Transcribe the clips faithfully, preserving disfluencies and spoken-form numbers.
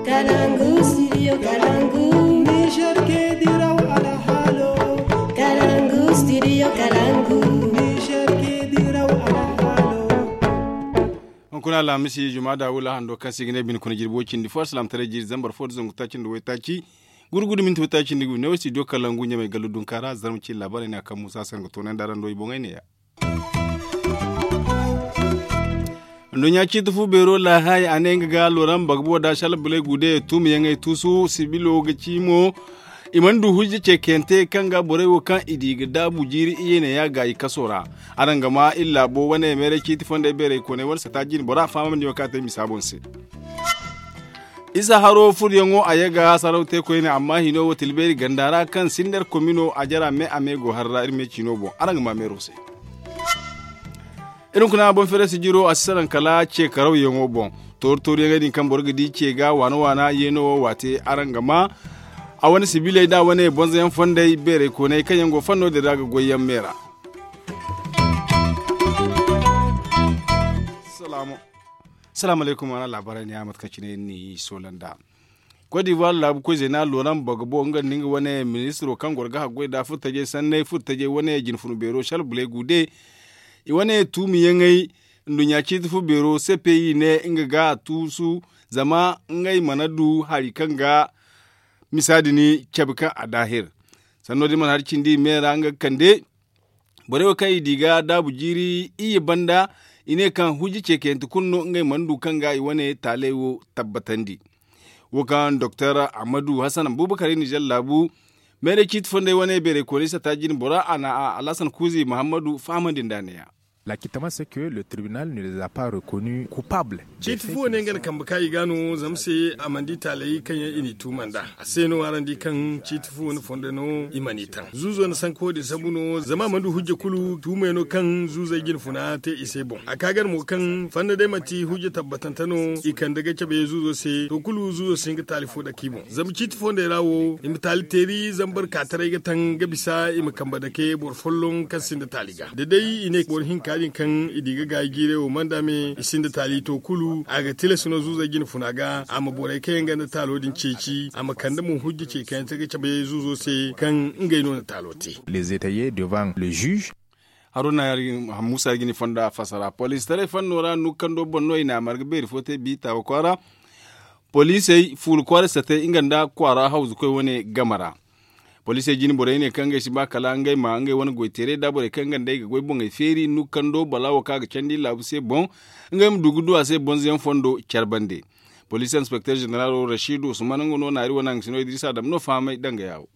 Kalangu studio kalangu. Niger ke diraw alhalo. Kalangu studio kalangu. Niger ke diraw alhalo. Hunkuna alhamisi juma da wula hando kaŋ se i ga ne bine kuna jirbi way cindi fo alsilaamataray jiiri zambar fo da zangu taaci nda waytaaci. Gurgudu minti waytaaci nda gu ne way studio kalangu ɲamay gallu dunka ra zarma ci laabaarey ne a kaŋ muusa se nga toonay nda araŋ do i boŋey ne ya. Nduɲɲa ciiti fu beero laahaay a ne nga ga looram bagbo da shalbulay gude tuumiyaŋey tuusu sibilo ga ci mo. I mana du hujja ceekayante kaŋ ga borey wo kaŋ i di ga daabu jiiri iye ne ya gaayi kaso ra. Araŋ ga ma iri laabo wane meeray ciiti fondey beerey kooney wane sata jine bora fahamandi wo kaŋ a te misa boŋ se. Isa haro furyaŋo a ye ga saraw te koyne amma hino wo tilbeeri ganda ra kaŋ sindar komino a jara me a me go har ra iri me ciino boŋ araŋ ga ma meero se. Iri hunkuna boŋ feere sijiro a si saraŋ kala ce karawyaŋo boŋ. Toori tooriyaŋey din kaŋ boro ga di ce ga waana waana yeeno wo waate araŋ ga ma a wane sibiley da wane bonzoyaŋ fondey beerey kooney kaŋ yaŋ go fanno din ra ga goyyaŋ me ra. Salaamu aleykum a na laabaarey ne ya mate kaŋ cine iri n'i soola nd'a. Kot divuwar laabu koy zeena looran bagabo nga nda nga wane ministiro kaŋ goro ga haggoy nd'a furtajey sanney furtajey wane jinfunu beero shalbuley gude. I wane tuumiyaŋey nduɲɲa ciiti fu beero se pe i ne nga ga a tuusu zama ngey mana du hari kaŋ ga misa din cabe kaŋ a daahir. Sanno din mana hari cindi i me ra nga ga kande. Borey wo kaŋ i di ga daabu jiiri iyye banda i ne kaŋ hujja ceekayante kulu no ngey mana du kaŋ ga i wane taaley wo tabbatandi. Wo kaŋ doktor ahmadu hasan abubakar nizer laabu meeray ciiti fondey wane beerey koonay sata jine bora a na a alhasan kuuzi muhammadu fahamandi nda a ne ya. Laakitama se ke le tribunal ne les a pas reconnu coupable. Ciiti fu wo ne nga na kambe ka i ga no zama se a mana di taaley kaŋ yaŋ i n'i tuuma nd'a. A se no araŋ di kaŋ ciiti fu wane fondo no i mana i taŋ zuuzo na sanka wo din sambu no zama a mana du hujja kulu tuumey no kaŋ zuuzey jinfuna te i se boŋ a ka gana mo kaŋ fanda day manti hujja tabbatante no i kande ga cabe zuuzo se to kulu zuuzo si hin ga taali fo dake i boŋ zama ciiti fondey ra wo i ma taali teeri zambar kaataray ga taŋ ga bisa i ma kambe dake boro folloŋ kaŋ sinda taali ga da day i ne boro hinka din kaŋ i di ga gaayi jiiray wo manda me i sinda taali to kulu a ga tilas no zuuzey jinfuna ga a ma borey kaŋ yaŋ ganda taalo din ceeci a ma kande mo hujja ce kaŋ yaŋ te ga cabe zuuzo se kaŋ ngey no na taalo te. Les étayer devant le juge. Haruna musa ya ga ni fonda fassara poliisi taray fanno ra nukkando boŋ no i na a marga beeri fo te bi taawa kwaara. Poliisey fuula kwaara satay nga nda kwaara hawzu koy wane game ra. Poliisey jine borey ne kaŋ ngey si ba kala ngey ma ngey wane goy teeray da borey kaŋ nga nda ay ga goy boŋey feeri nukkando bala wo kaŋ a ga candi laabu se boŋ. Ngey ma du ga du a se bonzo yaŋ fondo care bande. Poliisi inspekter ženeralo rashidu usman nga no naari wane haŋ sino idrisa dam no fahamay danga yaawo.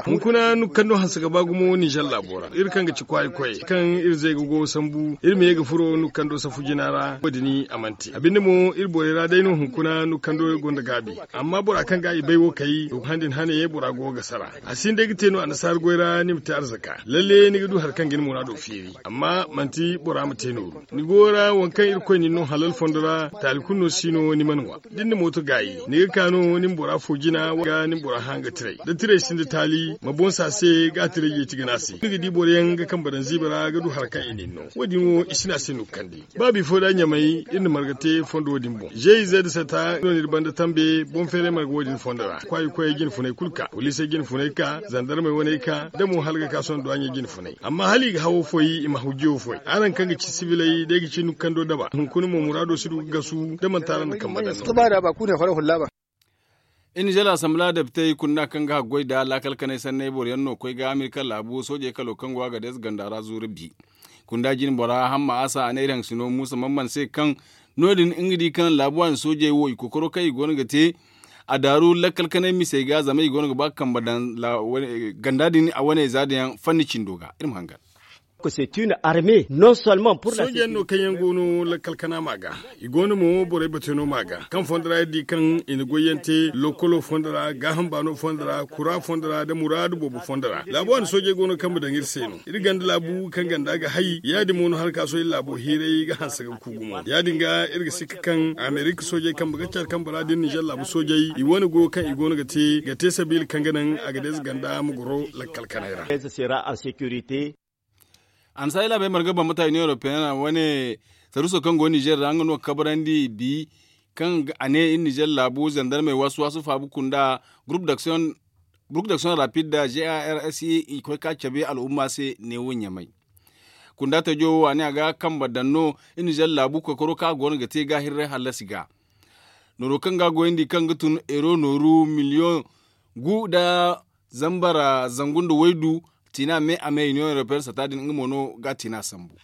Hunkuna nukkando hanse ga ba gumo ninzer laabo ra iri kaŋ ga ci kwaari koyey kaŋ iri zay ga go sambu iri ma ye ga furo nukkando safu jina ra wo- din a mana te a binde mo iri borey ra day no hunkuna nukkando gonda gaabi. Amma bora kaŋ ga i bay wo kay to handi ni hane bora go ga sara. A sinda ay ga te no annasaara goy ra ni ma te arzaka lalle ni ga du hari kaŋ ga ni muraado feeri amma manti bora ma te nooru. Ni go ra waŋ kaŋ irkoy na ni no halal fondo ra taali kulu no si no ni mana ŋwa. Da ni na mooto gaayi ni ga ka no ni ma bora fo jina ga ni ma bora hã ga tiray da tiray sinda taali ma boŋ se a se ga a tiray yeeti ga ne a se ni ga di boro yaŋ ga kambe daŋ ziiba ra ga du hari kaŋ i na ni no. Wo- din wo i si ne a se no ga kande. Ba bifo da ɲamay iri na marga te fondo wo- din boŋ zeeyi zay da sata no na iri banda tambe boŋ feeray marga wo- din fondo ra kwaari koyey jine funay kulu ka poliisey jine funay ka zandarmey wane ka da mo hala ga ka sohõ duwaaɲey jine funay amma hala i ga hawo foy i ma hujjo foy araŋ kaŋ ga ci sibiley day ga ci nukkando daba hunkuna mo muraado si du ga gasu da manti araŋ na kambe daŋ. Iri na zala asambila depitey kunda kaŋ ga haggoy nda laakal kanay sanney boro yaŋ no koy ga amerika laabu soojey kalo kaŋ go a ga deesa ganda ra zuuru bi. Kunda jine bora hamma asa a ne iri haŋ sino muusa mamman se kaŋ no- din nga di kaŋ laabu waani soojey wo i kookaro kaŋ i go no ga te a daaru lakkal kanay misey ga zama i go no ga ba ga kambe daŋ ganda din a wane za din yaŋ fanni cindo ga iri ma hangan. Sooje yaŋ no kaŋ yaŋ go no lakkal kana ma ga i go no mo borey bate no ma ga kaŋ fondo ra iri di kaŋ i na goy yaŋ te lokolo fondo ra gaaham baano fondo ra kura fondo ra nda muraadu boobo fondo ra laabu waani soojey go no kaŋ ma daŋ iri se no iri ganda laabu kaŋ ganda ga hay ya- din mo no hala ka sohõ iri laabo hiiray ga hanse ga ku gumo ya- din ga iri ga sikka kaŋ amerika soojey kambe ga care kambe ra da iri ninzer laabu soojey i wane goyo kaŋ i go no ga te ga te sabiila kaŋ ga naŋ a ga deeza ganda ma goro lakkal kanay ra. Annasaara laabey marga bambata union europeenne ra wane saruuso kaŋ go nizer ra nga no ga kabrandi bi Kaŋ a ne iri nizer laabu zandarmey waasu-waasu faabu kunda, groupe d'action rapide da g a r s e i koy ka cabe al'umma se neewo ɲamay. Kunda tajo wo a ne a ga kambe daŋ no iri nizer laabu koykaro kaŋ a go no ga te ga hirray hallasi ga. Nooro kaŋ ga a goyandi kaŋ ga tun euro nooru miliyoŋ gu nda zambar zangu nda waydu, tiina me a me union european sata din nga mo no ga a tiina sambu.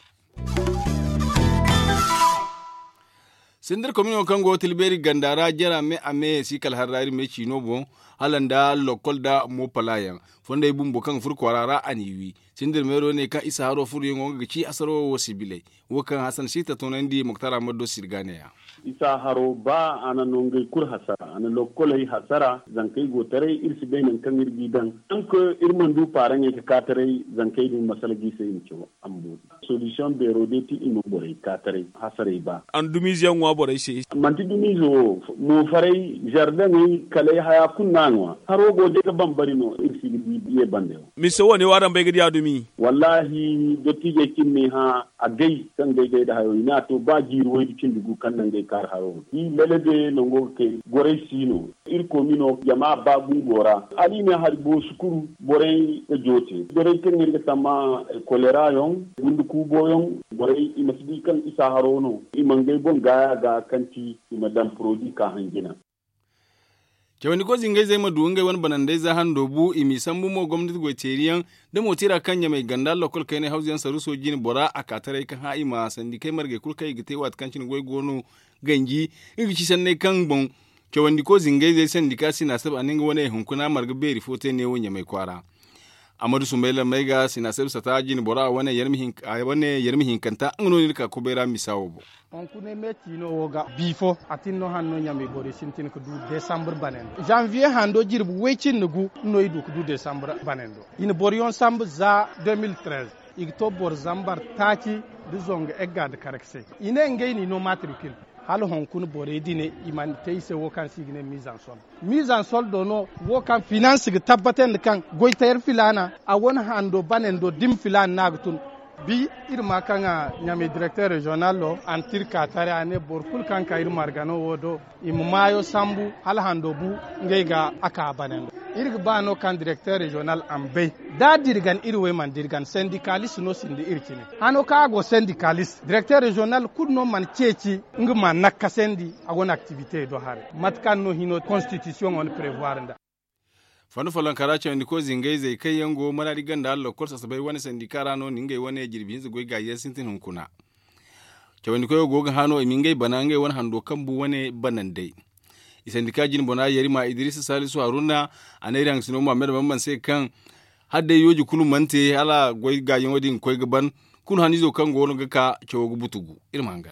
Sindir komino kaŋ go tilbeeri ganda ra jara me a me si kala har ra iri me ciino boŋ, hala nda lokkol nda mopala yaŋ. Fondey bumbo kaŋ ga furo kwaara ra a n'i wi. Sindir meero ne kaŋ isa haro furoyaŋo nga ga ci asaro wo sibiley. Wo kaŋ hasan si ta toonandi moktar ahmad do sirga ne-ya. Isa haro ba a na no ngey kulu hasara a na lokkoley hasara zankey go taray iri si bay nangu kaŋ iri g'i daŋ. Tank iri mana du paaraŋey ga ka taray zankey din masala g'i se i ma caw. Amboori solisiyoŋ beero day ti i ma borey ka taray hasarey ba. An dumiize yaŋ ŋwa borey se. Manti dumiize wo, moofaray, zardaŋey, kalay haya kulu no a ŋwa. Haro go day ga bambari no iri si ga di ye bande wo. Mise wo ne wo araŋ bay ga di a dumi? Wallaahi dottiijey kaŋ ni hã, a gay kaŋ gay gay nda hayo i ne a to ba jiiri waydu cindi gu kaŋ naŋ gay kaari haro. Di lalabe nango ga kay goray si no. Iri koomino jama ba gungo ra. Hala i ne hari boosu kulu borey ga joote. Borey kaŋ iri ga samma kolera yaŋ, gundu kuubo yaŋ, borey i ma si di kaŋ isa haro no. I ma ngey boŋ gaaya ga kaŋ ti i ma daŋ poroodi ka hanjina. Cawandi koy zingayzey ma du ngey wane banandey za hando bu i m'i sambu mo gomnati goy teeriyaŋ, da mo tira kaŋ ɲamay ganda lokol kaynay hawzuyaŋ saruuso jine bora a ka taray ka hã i ma sandikey margey kulu kaŋ i ga te waati kaŋ cine goy go no ganji. Nga ga ci sanney kaŋ boŋ cawandi koy zingayzey sandika sinasab a ne nga wane hunkuna marga beeri fo te neewo ɲamay kwaara. Amadu sumbay lammey ga sinasab sata jine bora wane yarmi hinkanta nga no no iri ka kubay ra misa wo boŋ. Hunkuna me ciino wo ga bi fo a tin no hanno ɲamay borey sintin ga du desambur banando zanviye hando jirbi way cindi gu no i du ga du desambur banando. I na boroyaŋ sambu za deux mille treize i ga to boro zambar taaci nda zongo egga nda karga se. I ne ngey no i no matrikil hala hunkuna borey din i mana te i se wo kaŋ se i ga ne mizansol. Mizansol do no wo kaŋ finans ga tabbatandi kaŋ goytayer filaana a wane hando banando dimi filaana no a ga tun. Bi iri ma kaŋ a ɲamay direkter reziyonal do a na tirka taray a ne boro kulu kaŋ ka iri margano wo do i ma maayo sambu hala hando bu ngey ga a ka banando. Iri ga ba no kaŋ direkter reziyonal a ma bay da a dirgan iri wey mana dirgan sendikalis no sinda iri cine. Hano kaŋ a go sendikalis direkter reziyonal kulu no mana ceeci nga ma nakkasandi a go no aktivite do haray mate kaŋ no hino konstitisiyoŋo na prevoir nda. Fanda follonka ra cawandi koy zingayzey kaŋ yaŋ go maraadi ganda hala lokol sasabay wane sandika ra no na ngey wane jirbi hinza goy gaayi yaŋ sintin hunkuna. Cawandi koyo go ga hã no i ma ngey bana ngey wane hando kambu wane banandey. I sandika jine bona yarima idris salisu haruna a ne iri hangasino muhammad bamban se kaŋ hala day yooji kulu mana te hala goy gaayaŋo din ga koy ga ban. Kulu haniizo kaŋ go no ga ka cawo ga butugu iri ma hangan.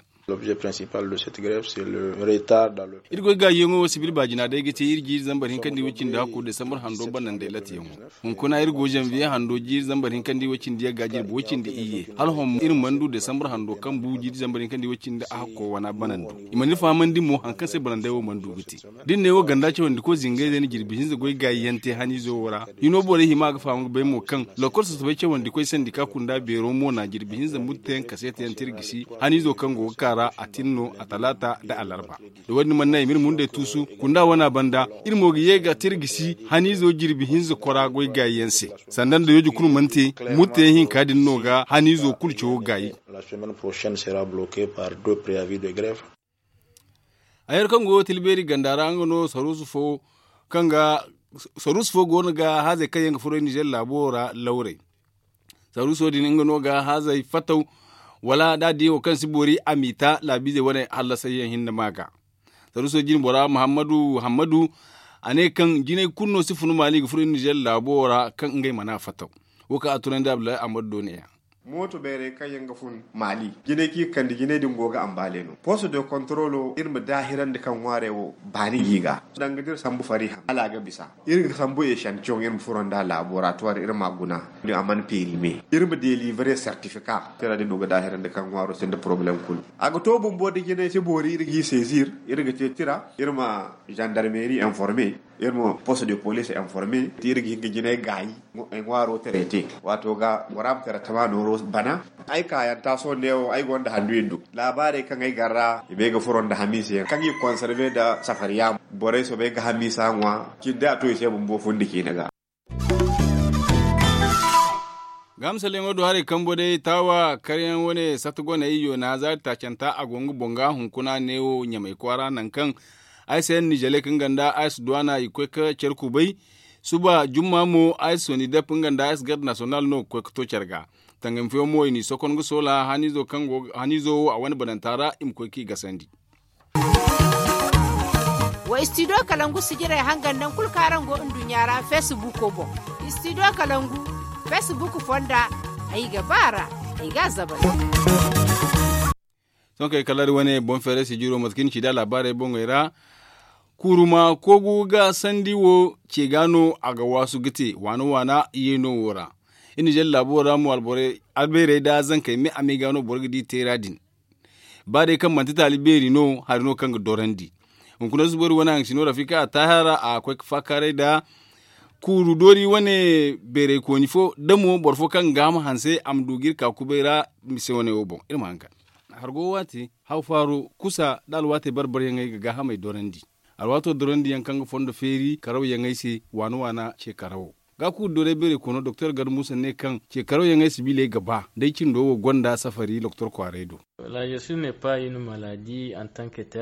Iri goy gaayaŋo wo sibil baajina day ga te iri jiiri zambar hinka nda i way cindi hakku desambar hando banandey latiyaŋo. Hunkuna iri go zanviye hando jiiri zambar hinka nda i way cindi yagga jirbi way cindi iyye hala hom iri mana du desambar hando kaŋ bu jiiri zambar hinka nda i way cindi a hakko wana banando. I mana iri fahamandi mo hari kaŋ se banandey wo mana du ga te. Da iri ne wo ganda cawandi koy zingayzey na jirbi hinza goy gaayi yaŋ te haniizo wo ra. Hino borey hima ga faham ga bay mo kaŋ lokol sasabay cawandi koy sandika kunda beero mo na jirbi hinza murte yaŋ kaseeta yaŋ te iri gisi haniizo kaŋ go ga ka ra a tin no a talaata nda alarba. Da wo- din mana naŋ i ma iri mundey tuusu kunda wana banda iri mo ga ye ga te iri gisi haniizo jirbi hinza kora goy gaayi yaŋ se. Sanda nda yooji kulu mana te murte yaŋ hinka din no ga haniizo kulu cawo gaayi. Hayo kaŋ go tilbeeri ganda ra nga no saruusu fo kaŋ ga saruusu fo go no ga haazey kaŋ yaŋ ga furo nizer laabo ra lawrey. Saruuso din nga no ga haazey fataw wala da a di wo kaŋ si boori a m'i ta laabiizey wane hallasayyaŋ hinne ma ga. Saruuso jine bora muhammadu hammadu a ne kaŋ jinay kulu no si funu maali ga furo nizer laabo ra kaŋ ngey mana fataw. Wo kaŋ a tunandi abdullahi ahmadu do ne-ya. Mooto bayray kaŋ yaŋ ga fun maali jinay kaŋ i ga kande jinay din go ga ambaale no poste de controlo iri ma daahirandi kaŋ ŋwaarey wo baani ga i ga danga da iri sambu fariha hala a ga bisa. Iri ga sambu echantiyoŋ iri ma furo nda laboratoire iri ma a guna. A mana perime iri ma delivre sertifika tira din no ga daahirandi kaŋ ŋwaaro sinda poroblem kulu. A ga to bumbo da jinay si boori iri g'i saisir iri ga te tira iri ma zandarmeri informe. Iri ma poste de police informe te iri ga hin ga jinay gaayi ŋwaaro traite. Waato ga bora ma tara tama nooro. Bana ay kaayanta sohõ neewo ay gonda handu iddu laabaarey kaŋ ay gar ra i bay ga furo nda hamiisa yaŋ kaŋ i ga konserve nda safariya. Borey soobay ga hamiisa ŋwa cindi a to i se bumbo fundi ciine ga. Ga misalyaŋo do haray kambo day taawa karyaŋ wane sata goney yoona zaari taacanta a go nga boŋ ga hunkuna neewo ɲamay kwaara nangu kaŋ ay se nizeele kaŋ ganda ay si duwaana i ga koy ga care kubay. Suba jumma mo ay si soni dep nga nda ay si garde nasiyonal no ga koy ga to care ga. Tangami fooyaŋ mo i n'i sokon ga soola haniizo wo a wane bananta ra i ma koy k'i gasandi. Wa istidiyo kalangu sijirey hangan naŋ kulu kaŋ araŋ go nduɲɲa ra feesibuko boŋ. Istidiyo kalangu feesibuk fonda ay ga ba a ra. Ay ga a zabal. Sohõ kay kala da wane boŋ feeray sijiro mate kaŋ i na ci da laabaarey boŋey ra. Kuuru ma koogu ga sandi wo ce ga no a ga waasu ga te waana waana yeeno wo ra. Iri na jelle laabo ra mo albeerey nda zankey me a me ga no boro ga di teera din. Ba day kaŋ manti taali beeri no hari no kaŋ ga dorandi. Hunkuna zubari wane haŋ si no rafika a taahara a ga koy ga faakaaray nda kuuru doori wane beeraykooni fo da mo boro fo kaŋ ga gaaham hanse a ma du ga iri ka kubay ra. Mise wane wo boŋ iri ma haŋ ga hargo waati haw faaro kusa nda alwaatey bar-baryaŋey ga gaahamey dorandi. Alwaato dorandi yaŋ kaŋ ga fondo feeri karaw yaŋey se waana waana ce karawo. Ga kuuru doorey beeray koono doktor gar muusa ne kaŋ ce karaw yaŋey sibiiley ga ba day cindo wo gonda safari doktor kwaaray do.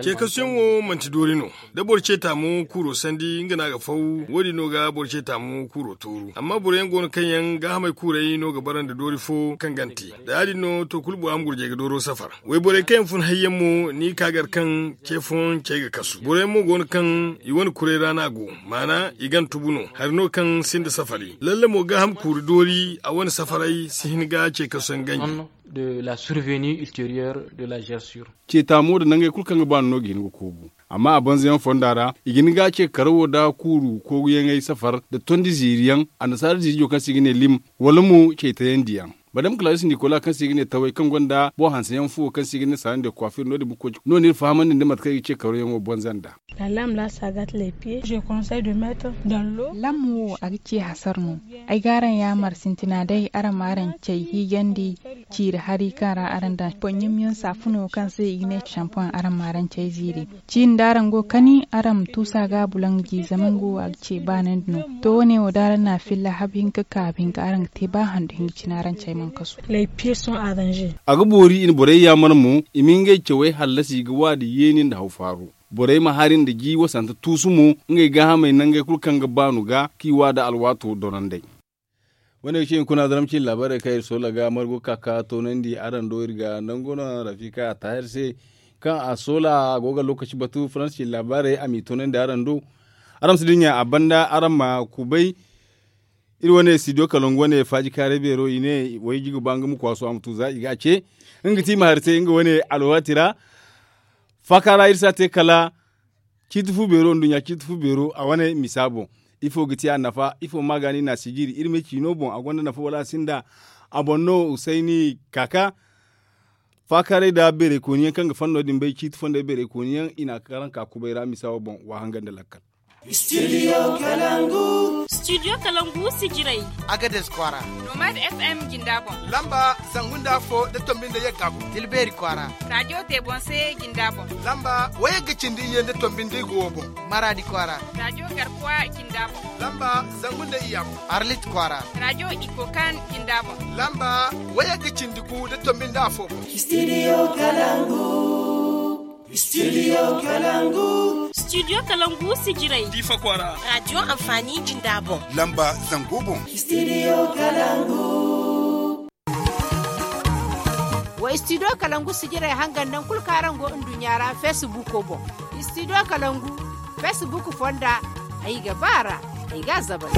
Ceekasuyaŋ wo manti doori no. Da boro ce taamu kuuro sandi nga no a ga faw. Wo- din no ga boro ce taamu kuuro tooru amma boro yaŋ go no kaŋ yaŋ gaahamey kuurey no ga bara nda doori fo kaŋ gante. Da ya- din no to kulu bora ma gurjay ga dooro safar. Wayborey kaŋ yaŋ fun hayyaŋ mo ni ka gar kaŋ ce fooyaŋ cey ga kasu boro yaŋ mo go no kaŋ i wane kuray ra no a go. Maana i gana tubu no hari no kaŋ sinda safari lalle mo gaaham kuuri doori a wane safaray si hin ga ce kasu yaŋ ganji. De la survenu ulterieur de la gersure. Ce taamo da nangey kulu kaŋ ga ba no no ga hin ga koogu. Amma a banza yaŋ fonda ra i ga hin ga ce karawo da kuuru koogu yaŋey safar da tondi ziiri yaŋ annasaara ziirijo kaŋ se i ga ne lim wala mo cey tayandi yaŋ. Madam kalaris nikola kaŋ se i ga ne taway kaŋ gonda boŋ hanse yaŋ fo kaŋ se i ga ne saaran de kwaafir no- din bukkoy no no iri fahamandi nda mate kaŋ i ga ce karaw yaŋo banza nda. Lam wo a ga ci hasar no. Ay ga araŋ yaamar sintina day araŋ ma araŋ cay hiijandi ciiri hari kaŋ ra araŋ daŋ poɲɲum yaŋ saafuno kaŋ se i ga ne sampoŋ araŋ ma araŋ cay ziiri. Ciini da araŋ go ga kani araŋ ma tuusa ga a bulaŋ ga ji zama nga wo a ga ce baanandi no. To wo- ne wo da araŋ na a filla habu hinka ka habu hinka araŋ ga te ba handu hinka cine araŋ cay mana kasu. A ga boori i na borey yaamar mo i ma ngey cawey hallasi ga waadi yeeni nda haw faaru. Borey ma hari nda ji wasante tuusu mo ngey gaahamey nangey kulu kaŋ ga baanu ga k'i waada alwaato dorandey. Wane ga ci hunkuna daram cine laabaarey kaŋ iri soola ga margo ka ka toonandi araŋ do iri ga nangu no rafika a taahir se kaŋ a soola a go ga lookaci batu faransa cine laabaarey a m'i toonandi araŋ do. Araŋ ma si dinya a banda araŋ ma kubay. Iri wane studio kalongu wane faaji kaaray beero i ne wayji ga ba nga ma kwaasu a ma tu za i ga a ce nga ga ti i ma hari te nga wane alwaati ra. Faaka ra iri si a te kala ciiti fu beero nduɲɲa ciiti fu beero a wane misa boŋ. Ifo ga ti a nafa ifo ma ga ni na a si jiiri iri ma ciino boŋ a gonda nafa wala a sinda. A boŋ no usayni kaka. Faakaaray nda beeraykooni yaŋ kaŋ ga fanno din bay ciiti fondey beeraykooni yaŋ i na a karaŋ ka kubay ra misa wo boŋ wa hanga nda lakkal. Studio kalangu sijirey. Agades kwaara. Nomad fm jinda boŋ. Lamba zangu nda afo da tombi nda yagga boŋ. Tilbeeri kwaara. Radio tebonse jinda boŋ. Lamba wayagga cindi iyye nda tombi nda igo wo boŋ. Maraadi kwaara. Radio garkuwa jinda boŋ. Lamba zangu nda iyya boŋ. Arlit kwaara. Radio ikokan jinda boŋ. Lamba wayagga cindi gu da tombi nda afo boŋ. Studio kalangu. Studio kalangu. Studio kalangu sijirey. Diifa kwaara. Radio anfaani jinda boŋ. Lamba zango boŋ. Studio kalangu. Wa studio kalangu sijirey hangan naŋ kulu kaŋ araŋ go nduɲɲa ra feesibuko boŋ. Studio kalangu feesibuk fonda. Ay ga ba a ra. Ay ga a zabal.